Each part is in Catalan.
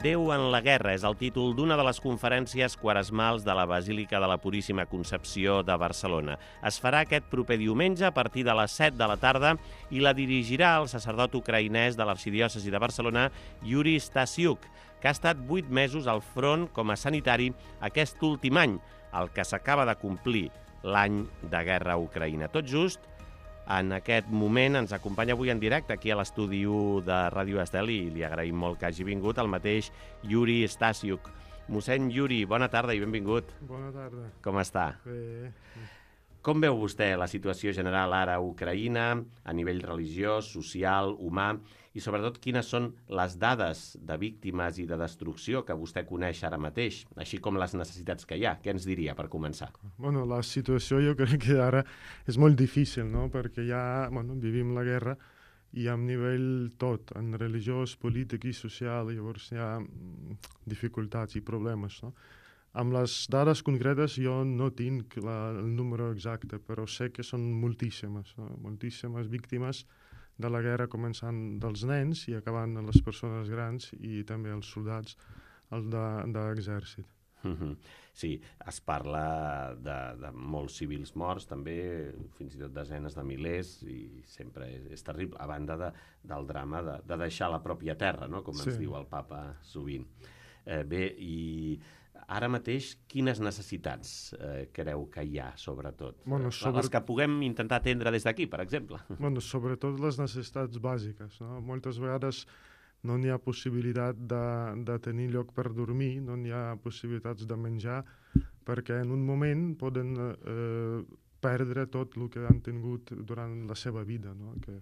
Déu en la guerra és el títol d'una de les conferències quaresmals de la Basílica de la Puríssima Concepció de Barcelona. Es farà aquest proper diumenge a partir de les 7 de la tarda i la dirigirà el sacerdot ucraïnès de l'Arxidiòcesi de Barcelona, Yuri Stasiuk, que ha estat 8 mesos al front com a sanitari aquest últim any, el que s'acaba de complir l'any de guerra a Ucraïna. Tot just, en aquest moment ens acompanya avui en directe aquí a l'estudi 1 de Ràdio Estel i li agraïm molt que hagi vingut el mateix Yuri Stasiuk. Mossèn Yuri, bona tarda i benvingut. Bona tarda. Com està? Bé. Com veu vostè la situació general ara a Ucraïna, a nivell religiós, social, humà, i sobretot quines són les dades de víctimes i de destrucció que vostè coneix ara mateix, així com les necessitats que hi ha? Què ens diria per començar? Bueno, la situació jo crec que ara és molt difícil, no? Perquè ja vivim la guerra i a nivell tot, en religiós, polític i social, llavors hi ha dificultats i problemes, no? Amb les dades concretes jo no tinc el número exacte, però sé que són moltíssimes, no? Moltíssimes víctimes de la guerra, començant dels nens i acabant amb les persones grans i també els soldats d'exèrcit. Sí, es parla de molts civils morts, també fins i tot desenes de milers, i sempre és terrible, a banda del drama de deixar la pròpia terra, no? Com ens diu el papa sovint. Bé, i ara mateix quines necessitats creu que hi ha, sobretot? Les que puguem intentar atendre des d'aquí, per exemple. Sobretot les necessitats bàsiques, no? Moltes vegades no n'hi ha possibilitat de tenir lloc per dormir, no n'hi ha possibilitats de menjar, perquè en un moment poden perdre tot el que han tingut durant la seva vida, no? Que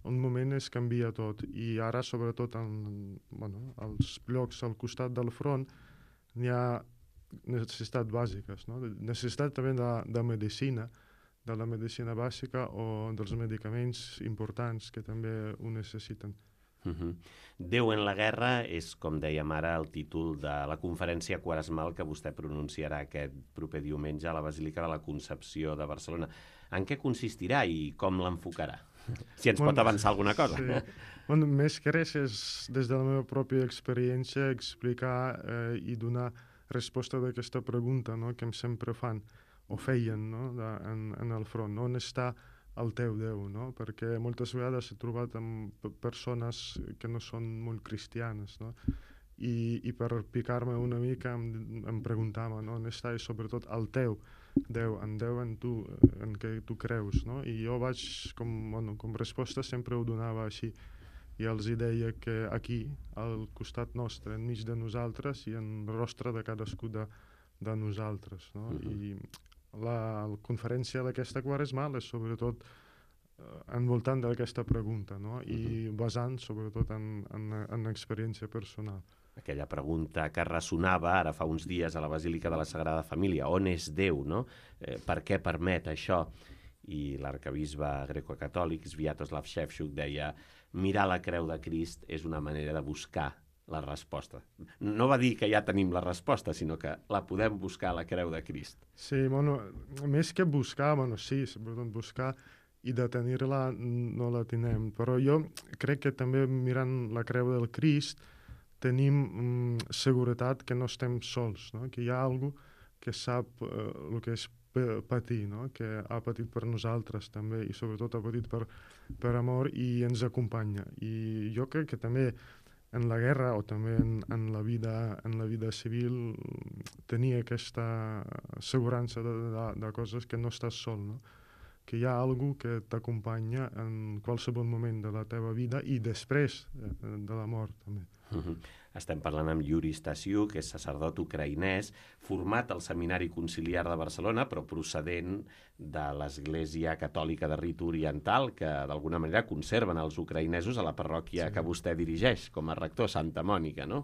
un moment es canvia tot, i ara sobretot als llocs al costat del front n'hi ha necessitats bàsiques, no? Necessitat també de medicina, de la medicina bàsica o dels medicaments importants que també ho necessiten. Déu en la guerra és, com dèiem ara, el títol de la conferència quaresmal que vostè pronunciarà aquest proper diumenge a la Basílica de la Concepció de Barcelona. En què consistirà i com l'enfocarà? Si ens pot avançar alguna cosa. Sí. Més que res és, des de la meva pròpia experiència, explicar i donar resposta a aquesta pregunta, no? Que em sempre fan o feien, no? En el front. On està el teu Déu? No? Perquè moltes vegades he trobat amb persones que no són molt cristianes, no? I per picar-me una mica em preguntava, no? On està, i sobretot el teu Déu, en tu, en què tu creus, no? I jo vaig, com resposta sempre ho donava així, i els deia que aquí, al costat nostre, enmig de nosaltres i en el rostre de cadascú de nosaltres, no? I la conferència d'aquesta quaresmal és sobretot envoltant d'aquesta pregunta, no? I basant sobretot en experiència personal. Aquella pregunta que ressonava ara fa uns dies a la Basílica de la Sagrada Família, on és Déu, no? Per què permet això? I l'arcabisbe greco-catòlic Sviatoslav Shevchuk deia: mirar la creu de Crist és una manera de buscar la resposta. No va dir que ja tenim la resposta, sinó que la podem buscar a la creu de Crist. Sí, més que buscar, sí, sobretot buscar i de tenir-la no la tenim, però jo crec que també mirant la creu del Crist tenim seguretat que no estem sols, no? Que hi ha algú que sap el que és patir, no? Que ha patit per nosaltres també, i sobretot ha patit per amor i ens acompanya. I jo crec que també en la guerra o també en la vida civil tenir aquesta assegurança de coses, que no estàs sol, no? Que hi ha algú que t'acompanya en qualsevol moment de la teva vida i després de la mort també. Estem parlant amb Yuri Stasiuk, que és sacerdot ucraïnès, format al Seminari Conciliar de Barcelona, però procedent de l'Església Catòlica de Rit Oriental, que d'alguna manera conserven els ucraïnesos a la parròquia que vostè dirigeix com a rector, Santa Mònica, no?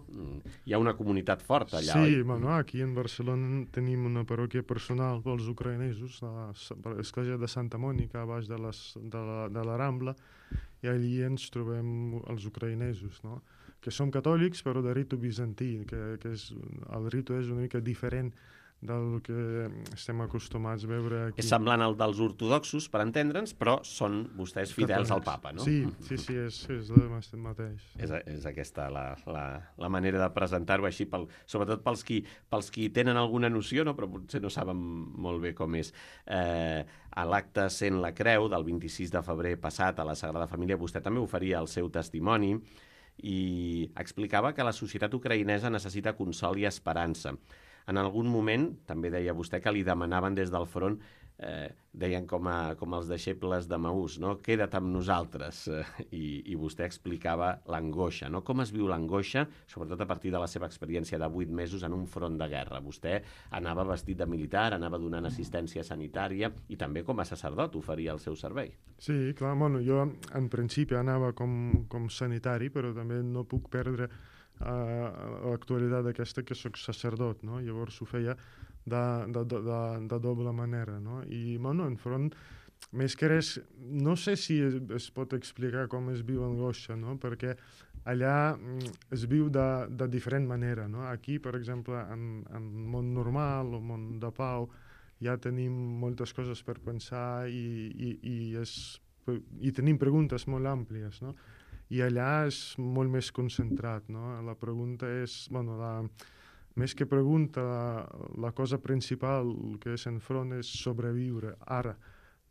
Hi ha una comunitat forta allà, oi? Sí, aquí en Barcelona tenim una parròquia personal pels ucraïnesos, l'Església de Santa Mònica, a baix de la Rambla, i allí ens trobem els ucraïnesos, no? Que som catòlics, però de ritu bizantí, que el ritu és una mica diferent del que estem acostumats a veure aquí. És semblant al dels ortodoxos, per entendre'ns, però són vostès fidels al papa, no? Sí, és el mateix. És aquesta la manera de presentar-ho així, sobretot pels qui tenen alguna noció, no? Però potser no saben molt bé com és. A l'acte Sent la Creu del 26 de febrer passat a la Sagrada Família, vostè també oferia el seu testimoni i explicava que la societat ucraïnesa necessita consol i esperança. En algun moment, també deia vostè, que li demanaven des del front, deien com els deixebles de Maús, no? Queda't amb nosaltres. I vostè explicava l'angoixa, no? Com es viu l'angoixa, sobretot a partir de la seva experiència de 8 mesos en un front de guerra. Vostè anava vestit de militar, anava donant assistència sanitària i també com a sacerdot oferia el seu servei. Sí, clar, bueno, jo en principi anava com sanitari, però també no puc perdre l'actualitat aquesta que soc sacerdot, no? Llavors ho feia de doble manera, no? I, bueno, en front, més que res, no sé si es pot explicar com es viu l'angoixa, no? Perquè allà es viu de diferent manera, no? Aquí, per exemple, en món normal o món de pau, ja tenim moltes coses per pensar i tenim preguntes molt àmplies, no? I allà és molt més concentrat, no? La pregunta és, bueno, més que pregunta, la cosa principal que és enfront és sobreviure ara.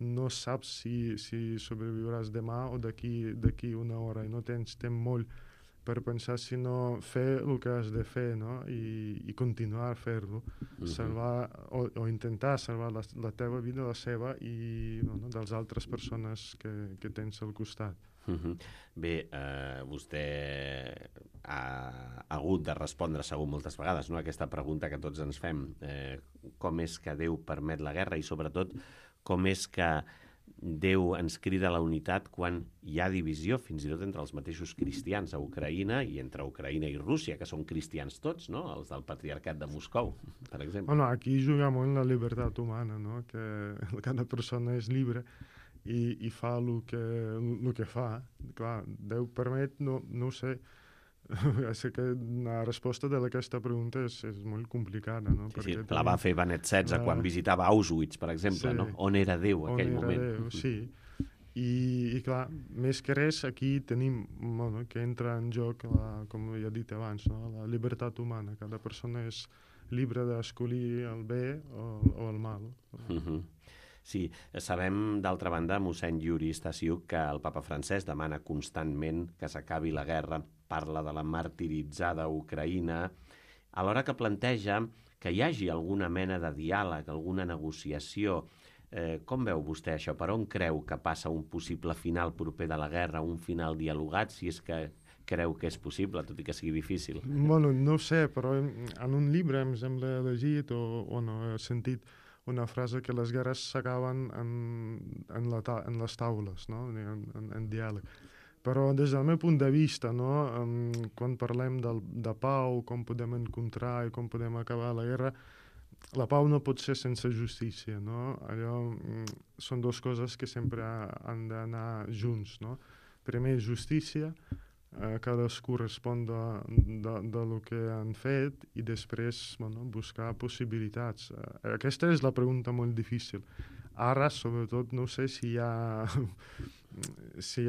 No saps si sobreviuràs demà o d'aquí una hora i no tens temps molt per pensar, sinó fer el que has de fer, no? I continuar a fer-lo, salvar o intentar salvar la teva vida, la seva i de les altres persones que tens al costat. Bé, vostè ha hagut de respondre segur moltes vegades, no? Aquesta pregunta que tots ens fem, com és que Déu permet la guerra i sobretot com és que Déu ens crida a la unitat quan hi ha divisió fins i tot entre els mateixos cristians a Ucraïna i entre Ucraïna i Rússia, que són cristians tots, no? Els del patriarcat de Moscou, per exemple. Bueno, aquí juga molt la llibertat humana, no? Que cada persona és llibre i fa el que fa. Clar, Déu permet, no ho sé. Sé que la resposta d'aquesta pregunta és molt complicada, no? Sí, la va fer Benet XVI quan visitava Auschwitz, per exemple, no? On era Déu aquell moment. Déu, sí. I clar, més que res, aquí tenim que entra en joc, com ja he dit abans, no? La llibertat humana. Cada persona és llibre d'escollir el bé o el mal. Sí, sabem, d'altra banda, mossèn Yuri Stasiuk, que el papa francès demana constantment que s'acabi la guerra, parla de la martiritzada Ucraïna, alhora que planteja que hi hagi alguna mena de diàleg, alguna negociació. Com veu vostè això? Per on creu que passa un possible final proper de la guerra, un final dialogat, si és que creu que és possible, tot i que sigui difícil? Bueno, no sé, però en un llibre em sembla llegit o no, he sentit una frase que les guerres s'acaben en les taules, no? En diàleg. Però des del meu punt de vista, no? Quan parlem de pau, com podem encontrar i com podem acabar la guerra, la pau no pot ser sense justícia, no? Allò són dues coses que sempre han d'anar junts, no? Primer, justícia, cadascú respon de lo que han fet i després buscar possibilitats. Aquesta és la pregunta molt difícil. Ara, sobretot, no sé si hi ha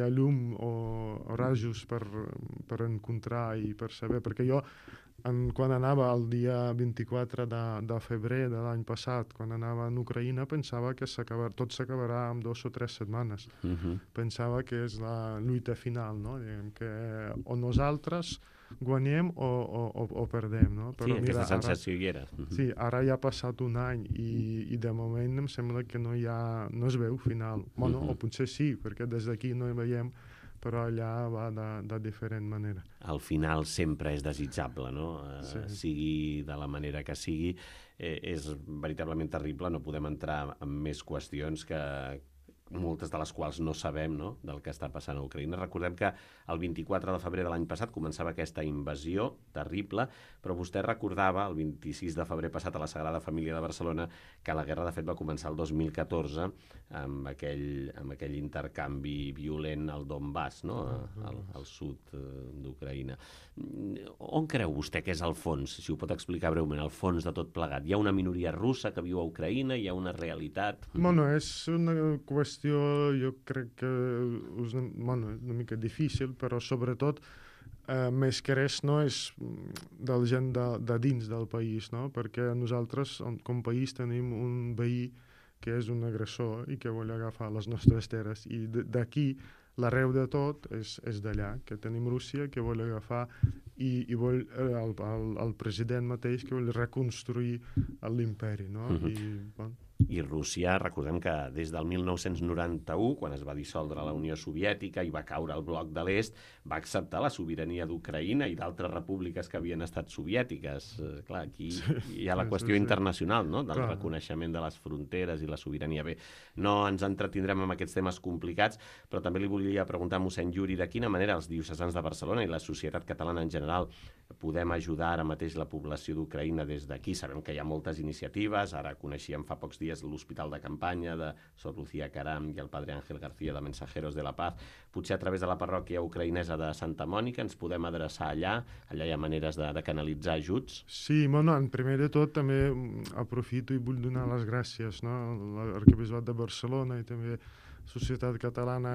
llum o rajos per encontrar i per saber, perquè jo quan anava el dia 24 de febrer de l'any passat, quan anava a Ucraïna, pensava que tot s'acabarà en 2 o 3 setmanes. Pensava que és la lluita final, no? Diguem que o nosaltres guanyem o perdem, no? Però, sí, mira, aquesta sensació hi era. Sí, ara ja ha passat un any i de moment em sembla que no es veu final. Bueno, o potser sí, perquè des d'aquí no hi veiem, però allà va de diferent manera. Al final sempre és desitjable, no? Sí. Sigui de la manera que sigui, és veritablement terrible, no podem entrar en més qüestions que moltes de les quals no sabem, no?, del que està passant a Ucraïna. Recordem que el 24 de febrer de l'any passat començava aquesta invasió terrible, però vostè recordava, el 26 de febrer passat, a la Sagrada Família de Barcelona, que la guerra, de fet, va començar el 2014 amb aquell intercanvi violent al Donbass, no?, al sud d'Ucraïna. On creu vostè que és el fons, si ho pot explicar breument, el fons de tot plegat? Hi ha una minoria russa que viu a Ucraïna, hi ha una realitat? Bueno, és una qüestió, jo crec que és una mica difícil, però sobretot més que res no és de la gent de dins del país, no? Perquè nosaltres com a país tenim un veí que és un agressor i que vol agafar les nostres terres, i d'aquí l'arreu de tot és d'allà, que tenim Rússia que vol agafar i vol el president mateix que vol reconstruir l'imperi, no? I Rússia, recordem que des del 1991, quan es va dissoldre la Unió Soviètica i va caure el bloc de l'Est, va acceptar la sobirania d'Ucraïna i d'altres repúbliques que havien estat soviètiques. Clar, aquí hi ha la qüestió internacional, no?, del reconeixement de les fronteres i la sobirania. Bé, no ens entretindrem amb aquests temes complicats, però també li volia preguntar a mossèn Yuri de quina manera els diocesans de Barcelona i la societat catalana en general podem ajudar ara mateix la població d'Ucraïna des d'aquí. Sabem que hi ha moltes iniciatives, ara coneixíem fa pocs dies l'hospital de campanya de Sor Lucía Caram i el padre Ángel García de Mensajeros de la Paz. Potser a través de la parròquia ucraïnesa de Santa Mònica ens podem adreçar allà hi ha maneres de canalitzar ajuts? Sí, bueno, en primer de tot també aprofito i vull donar les gràcies, no?, a l'Arquebisbat de Barcelona i també Societat Catalana